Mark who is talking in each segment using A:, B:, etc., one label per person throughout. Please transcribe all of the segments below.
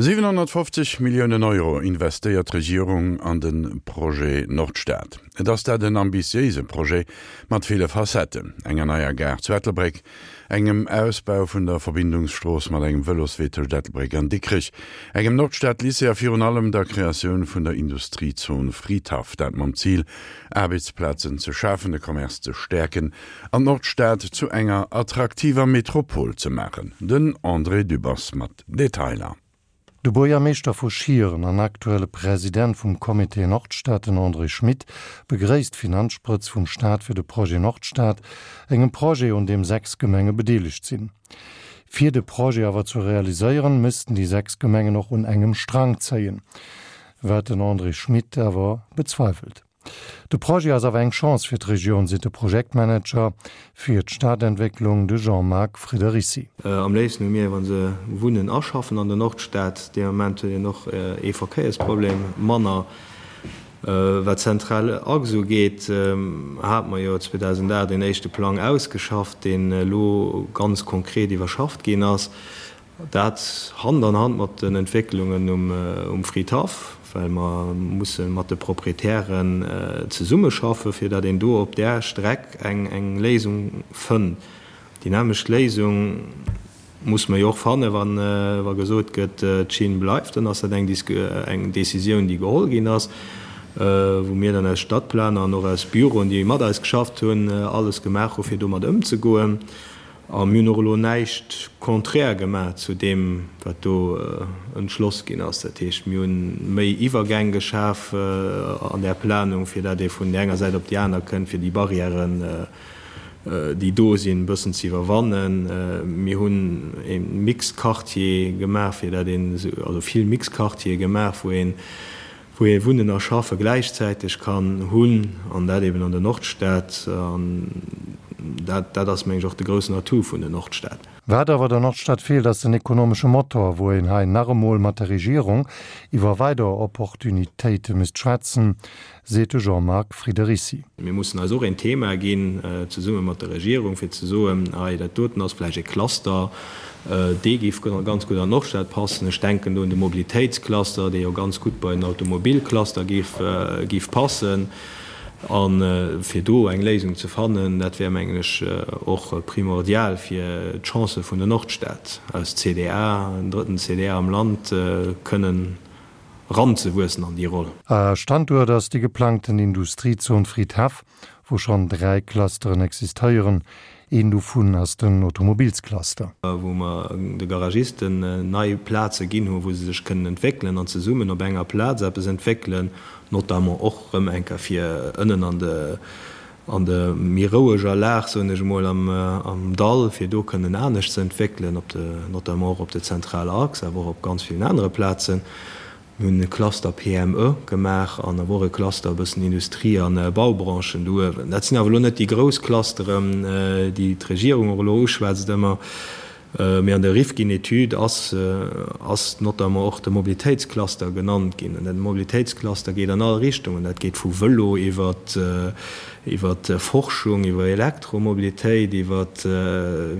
A: 750 Milliounen Euro investéiert d'Regierung an de Projet Nordstad. Et ass dat en ambitiéise Projet mat ville Facetten, enger neier Gare zu Ettelbréck, engem Ausbau vun der Verbindungsstrooss mat engem Vëloswee tëscht Ettelbréck an Dikrech, engem Nordstad-Lycée a virun allem der Kreatioun vun der Industriezon Fridhaff, dat mam Zil, Aarbechtsplazen ze schafen, de Commerce ze stäerken an d'Nordstad zu enger attraktiver Metropol ze maachen. Den André Dübbers mat Detailer.
B: De Buergermeeschter vu Schieren an aktuelle President vum Comité Nordstad, den André Schmit, begréisst d'Finanzsprëtz vum Staat fir de Projet Nordstad, engem Projet un deem 6 Gemenge bedeelegt sinn. Fir de Projet awer ze realiséieren, missten déi 6 Gemengen och un engem Strang zéien, wat den André Schmit awer bezweifelt. De Projet ass awer eng Chance fir d'Regioun, seet de Projektmanager fir d'Stadentwécklung, de Jean-Marc Friederici.
C: Am léifsten hu mir, wa se wunnen a schaffen an der Nordstad. Dee Moment huet een och ee Verkéiersproblem manner. Wat d'zentral Achs ugeet, hate mer jo 2008 een éischte Plang ausgeschafft, deen elo ganz konkret iwwerschafft ginn ass. Dat Hand an Hand mat den Entwécklungen um Fridhaff, well mer musse mat de Proprietären zesummeschaffen, fir datt een do op där Streck eng Léisung fënnt. Déi nämmlecht Léisung muss mer jo och fannen, wa gesot gëtt, d'Schinn bleift. Dann ass dat eng Décisioun, déi geholl ginn ass, wou mir dann aus Stadplaner an och aus Büroen, déi mat eis geschafft hunn, alles gemaach hu fir domat ëmzegoen. A mir hunn och elo näischt konträr gemaach zu deem, wat do entschloss ginn ass. Dat heescht, mir hu méi Iwwergäng geschaf an där Planung, fir dat ee vun där enger Säit op déi aner kënnt, fir déi Barrièren, déi do sinn, e bëssen ze iwwerwannen. Mir hunn e Mixquartier gemaach, fir dat een, also vill Mixquartiere gemaach, wou een, wou ee Wunnen a Schaffe gläichzäiteg kann hunn, an dat eben an der Nordstad. An dat, dat ass, meng ech, och de groussen Atout vun der Nordstad.
B: Wat awer der Nordstad feelt, ass den ekonomesche Motor, wou een hei nach emol mat der Regierung iwwer weider Opportunitéite misst schwätzen, seet de Jean-Marc Friederici.
C: Mir mussen eis och een Thema ginn, zesumme mat der Regierung, fir ze soen, hei dat doten ass vläicht e Cluster, dee géif ganz gutt an d'Nordstad passen. Ech denken do un de Mobilitéitscluster, dee jo ganz gutt bei den Automobilcluster géif passen. A fir do eng Léisung ze fannen, dat wär, mengen ech, och primordial fir d'Chancë vun der Nordstad als CDA, den drëtten CDA am Land, kënnen eranzewuessen an déi Roll.
B: Standuert ass déi geplangten Industriezon Fridhaff, wou schonn 3 Clusteren existéieren. Een dovun ass den Automobilscluster.
C: Wou mer de Garagisten nei Plaze ginn hunn, wou se sech kënnen entwéckelen an zesummen op enger Plaz eppes entwéckelen, notamment och erëm eng Kéier fir ënnen an de an de méi roueger Lag, soen ech emol, am Dall, fir do kënnen anescht ze entwéckelen, op de, notamment och op de zentraler Achs, awer och op ganz villen anere Plazen. Mir hunn e Cluster PME gemaach an awer och e Cluster e bëssen Industrie a Baubranchen do uewen. Dat sinn awer elo net déi grouss Clusteren, déi d'Regierung och elo uschwätzt ëmmer. Mee an der Rifkin-Etüd ass ass notamment och de Mobilitéitscluster genannt ginn. An de Mobilitéitscluster geet an all Richtungen. Dat geet vu Vëlo iwwer iwwer Forschung, iwwer Elektromobilitéit, iwwer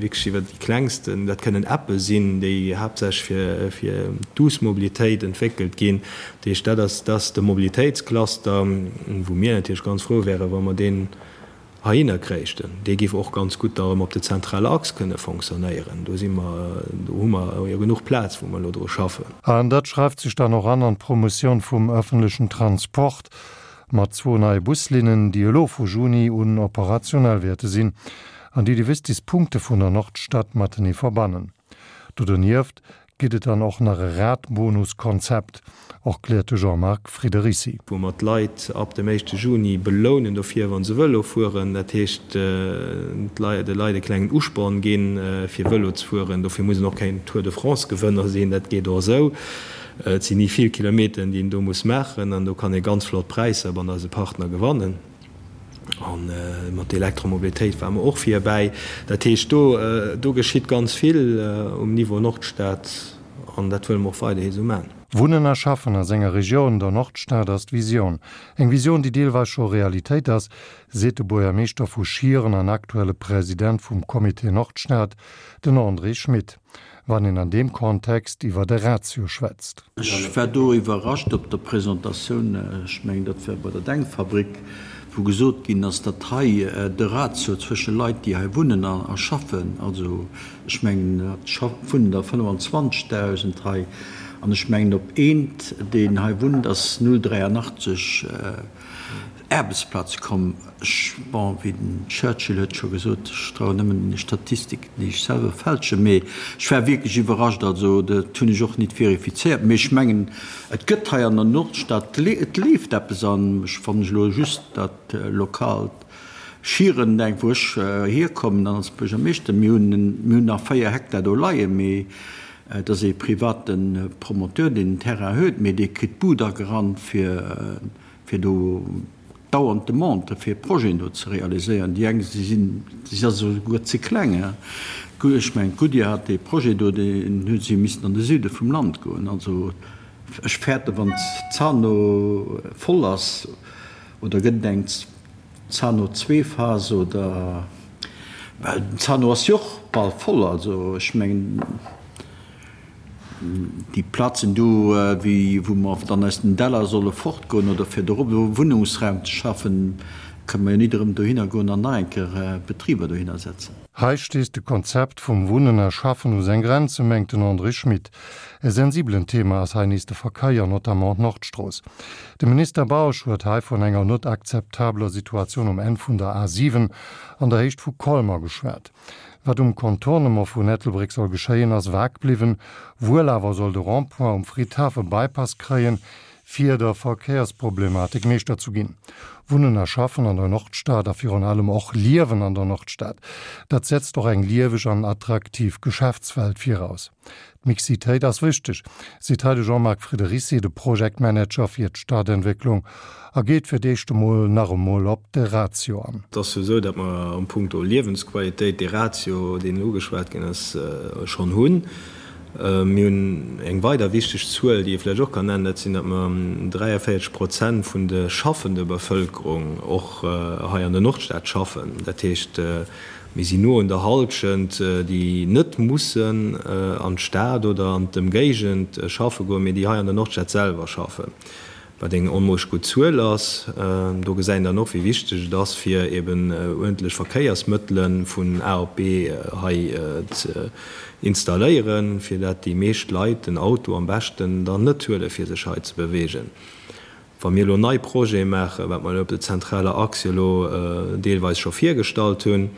C: wierklech iwwer déi klengsten, dat kënnen Appe sinn, déi haaptsächlech fir fir d'duuss Mobilitéit entwéckelt ginn. Dat heescht, dat ass dat ass de Mobilitéitscluster, wou mir natierlech ganz frou wären, wa mer deen heihinner kréichten. Dee géif och ganz gutt da erëm op der zentraler Achs kënne fonctionnéieren. Do si mer, do hu mer jo genuch Plaz, wou mer elo dru schaffen.
B: An dat schreift sech dann och an an d'Promotioun vum öffentlechen Transport mat zwou neie Buslinnen, déi elo vu Juni un operationell wäerte sinn an déi déi wichtegst Punkte vun der Nordstad matenee verbannen. Do donieft Gitt et dann och nach e Radbonus-Konzept, erkläert de Jean-Marc Friederici.
C: Wou mer d'Leit ab dem éischte Juni belounen dofir, wa se Vëlo fueren. Dat heescht, de Leit e klengen Usporn ginn, fir Vëlo ze fueren. Dofir muss een och keen Tour de France-Gewënner sinn, dat geet och esou. Et sinn ni vill Kilometeren, déi een do muss maachen an do kann ee ganz flott Präisser bei eise Partner gewannen. A mat der Elektromobilitéit ware mer och virbäi. Dat heescht, do, do geschitt ganz vill um Niveau Nordstad an dat wëlle mer och weiderhi esou maachen.
B: Wunnen a schaffen a senger Regioun, der Nordstad, ass d'Visioun. Eng Visioun, déi deelweis scho Realitéit ass, seet de Buergermeeschter vu Schieren an aktuelle President vum Comité Nordstad, den André Schmit. wann een an deem Kontext iwwer e Ratio schwätzt.
D: Ech war do iwwerrascht op der Presentatioun, ech mengen dat war bei der Denkfabrik, wou gesot ginn ass, datt hei de Ratio zwësche Leit, déi hei wunnen a schaffen, also ech mengen et wunnen der 25.000 hei, an ech mengen op eent, deen hei wunnt, ass 0,83 Aarbechtsplaze komm. Ech, bon, wéi den Churchill huet scho gesot, ech trauen nëmmen deene Statistiken, déi ech selwer fälschen, mee ech war wierklech iwwerrascht. Also dat hunn ech och nit verifizéiert, mee ech mengen, et gëtt hei an der Nordstad, et leeft eppes an ech, wann ech elo just dat lokaalt Schieren denken, wou ech hierkommen dann als Buergermeeschter, mir hunn, mir hunn nach 4 Hektar do leien, mee et ass ee private Promoteur, deen den Terrain huet, mee dee kritt d'Bud agerannt fir, fir do dauernd Demandë fir Projeten do ze realiséieren. Déi eng, déi sinn, déi si esouguer ze kleng. Ech mengen, d'Goodyear hat dee Projet do, deen hu si missen an de Süde vum Land goen. Also ech fäerte wann d'Zano voll ass, oder gëtt et eng Zano Zweephas oder, well den Zano ass jo och bal voll. Also ech mengen. Déi Plazen do, wou mer dann aus den Däller solle fortgoen oder fir dorop elo Wunnungsraum ze schaffen, kënne mer jo nit erëm dohinner goen an nach eng Kéier Betriber dohinner setzen.
B: Hei stéisst de Konzept vum Wunnen a Schaffen u seng Grenzen, mengt den André Schmit. E sensibelen Thema ass hei nees de Verkéier, notamment d'Nordstrooss. De Minister Bausch huet hei vun enger net akzeptabeler Situatioun um Enn vun der A 7 an der Héicht vu Colmer geschwat. Wat um Contournement vun Ettelbréck soll geschéien, ass vag bliwwen. Wuel awer soll de Rond-point um Fridhaff e Bypass kréien, fir der Verkéiersproblematik Meeschter zu ginn. Wunnen a Schaffen an der Nordstad a virun allem och Liewen an der Nordstad, dat setzt och eng lieweg an attraktiv Geschäftswelt viraus. D'Mixitéit ass wichteg, seet hei de Jean-Marc Friedericy, de Project Manager fir d'Stadentwécklung, a geet fir d'éischt emol nach emol op de Ratio an.
C: Et ass jo esou, datt mer am Punkto Liewensqualitéit dee Ratio, deen ugeschwat ginn ass, schonn hunn. Mir hunn eng weider wichteg Zuel, déi ee vläicht och kann nennen, dat sinn, datt mer 43 Prozent vun de schaffende Bevëlkerung och hei an der Nordstad schaffen. Dat heescht, Mir sinn no un der Halschent, déi net mussen an d'Stad oder an d'Ëmgéigend schaffe goen, mee déi hei an der Nordstad selwer schaffen, wat eng onmooglech gutt Zuel ass. Do gesäit een dann och, wéi wichteg et ass, fir eben uerdentlech Verkéiersmëttele vun A op B hei ze installéieren, fir dat déi meescht Leit den Auto am beschten dann net huelen, fir sech hei ze beweegen. Wa mir elo nei Projete maachen, wat mer elo op der zentraler Achs jo elo deelweis scho virgestallt hunn,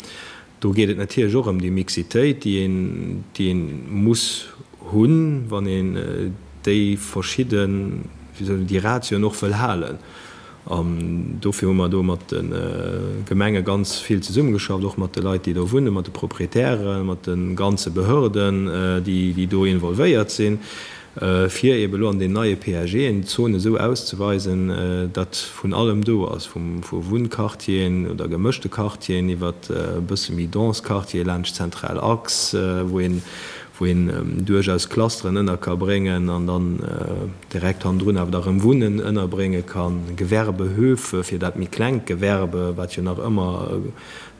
C: do geet et natierlech och ëm déi Mixitéit, déi een, déi ee muss hunn, wann een déi verschidden, wéi soll een, déi Ratioen och wëll halen. An dofir hu mer do mat de Gemenge ganz vill zesummegeschafft, och mat de Leit, déi do wunnen, mat de Proprietären, mat de ganze Behörden, déi, déi do involvéiert sinn. fir eeben elo an den neie PAGen d'Zone esou auszeweisen, datt vun allem do ass, vu Wunnquartieren oder gemëschte Quartieren iwwert e bësse méi dense Quartiere laanscht d'zentral Achs, wou een, wou een duerchaus Clusteren ënner ka bréngen an dann direkt hannendrun awer da rëm Wunnen ënnerbrénge kann, Gewerbehöfe fir dat méi klengt Gewerbe, wat jo nach ëmmer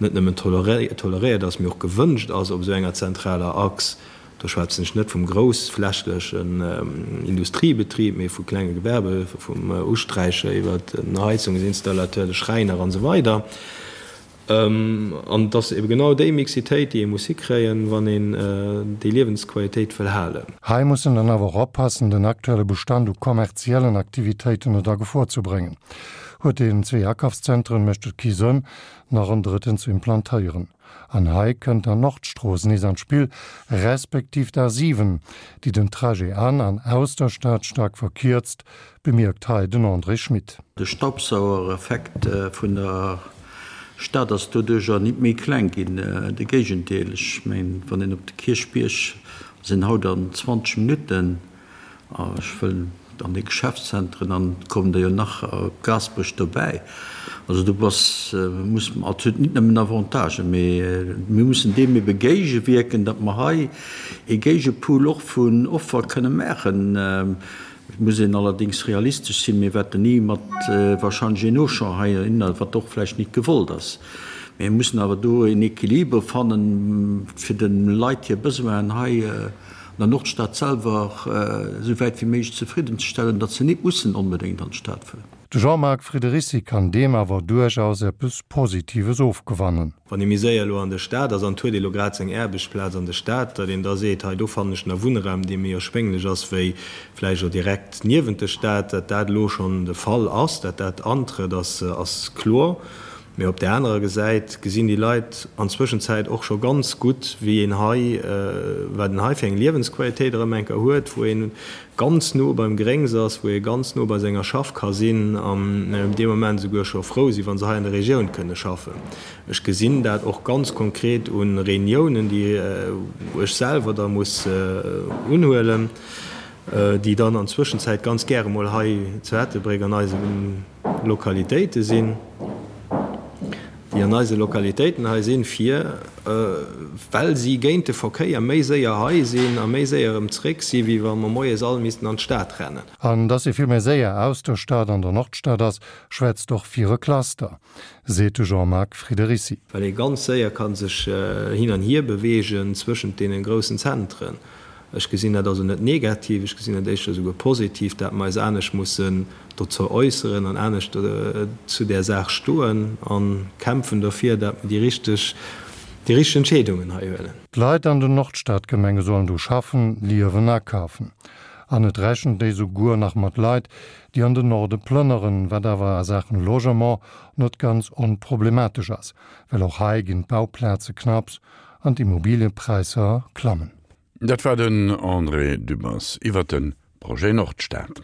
C: net nëmmen toleréiert ass, mee och gewënscht ass op esou enger zentraler Achs. Do schwätzen ech net vum groussflächlechen Industriebetrib, mee vu klenge Gewerbe, vum Usträicher iwwer den Heizungsinstallateur, de Schräiner an esou weider. An et ass ebe genau déi Mixitéit, déi ee muss hikréien, wann een déi Liewensqualitéit wëll halen.
B: Hei muss en dann awer och oppassen, den aktuelle Bestand u kommerziellen Aktivitéiten net a Gefor ze bréngen. Huet een zwee Akafszentren, mécht et kee Sënn, nach en drëtten ze implantéieren. An hei kënnt dann d'Nordstrooss nees an d'Spill, respektiv d'A7, déi den Trajet an an aus der Stad staark verkierzt, bemierkt hei den André Schmit.
D: De Staubsauereffekt vun der Stad ass doduercher nit méi kleng ginn, de Géigendeel. Ech mengen, wann een op de Kierchbierg ass een haut an 20 Minutten. Ech wëll an de Geschäftszentren, an et kommen der jo nach op Gaasperech dobäi, also do bass, muss, et huet net nëmmen Avantagen, mee mir mussen deem ebe géigewierken, datt mer hei ee Géigepool och vun Offer kënne maachen. Et muss een allerdéngs realistesch sinn, mir wäerten ni mat wahrscheinlech een Auchan heihinner, wat och vläicht nit gewollt ass, mee mir mussen awer do een Equilibre fannen, fir de Leit hir Besoinen hei. der Nordstad selwer esou wäit wéi méiglech zefridden ze stellen, datt se nit mussen onbedéngt an d'Stad fueren.
B: De Jean-Marc Friedericy kann deem awer duerchaus eppes Positives ofgewannen.
C: Wann ee méi séier elo an der Stad ass an et huet ee elo grad seng Aarbechtsplaz an der Stad, datt een da seet, hei do fannen ech nach Wunnraum, dee méi erschwénglech ass wéi vläicht och direkt niewent der Stad. Datt dat elo schonn de Fall ass, datt dat antrëtt, ass kloer. Mee op där anerer Gesäit gesinn déi Leit an Zwëschenzäit och scho ganz gutt, wéi een hei, wat een hei fir eng Liewensqualitéit erëm eng Kéier huet, wou ee ganz no beim Gréngs ass, wou ee ganz no bei senger Schaff ka sinn an dee Moment esouguer scho frou sinn, wa se hei an der Regioun kënne schaffen. Ech gesinn dat och ganz konkret u Reuniounen, déi ech selwer da muss unhuelen, déi dann an Zwëschenzäit ganz gäre mol hei zu Ettelbréck an eisem Lokalitéite sinn, déi an eise Lokalitéiten hei sinn, fir, well si géint de Verkéier méi séier hei sinn a méi séier erëm zréck sinn, wéi wa mer moies all missten an d'Stad rennen.
B: An dass ee vill méi séier aus der Stad an der Nordstad ass, schwätzt och fir e Cluster, seet de Jean-Marc Friedericy.
C: Well ee ganz séier ka sech hin an hier beweegen zwëschent deene groussen Zentren. Ech gesinn dat also net negativ, ech gesinn dat éischter esouguer positiv, dat mer eis anescht mussen dozou äusseren an anescht zu där Saach stoen a kämpfen dofir, dat mer déi richteg, déi richteg Entscheedungen hei huelen.
B: D'Leit an den Nordstadgemenge sollen do schaffen, liewen, akafen. An et rechent ee souguer nach mat Leit, déi an den Norde plënneren, wat awer a Saachen Logement net ganz onproblematesch ass, well och hei ginn d'Bauplaze knapps an d'Immobiliepräisser klammen.
A: Dat war den André Dübbers iwwer de Projet Nordstad.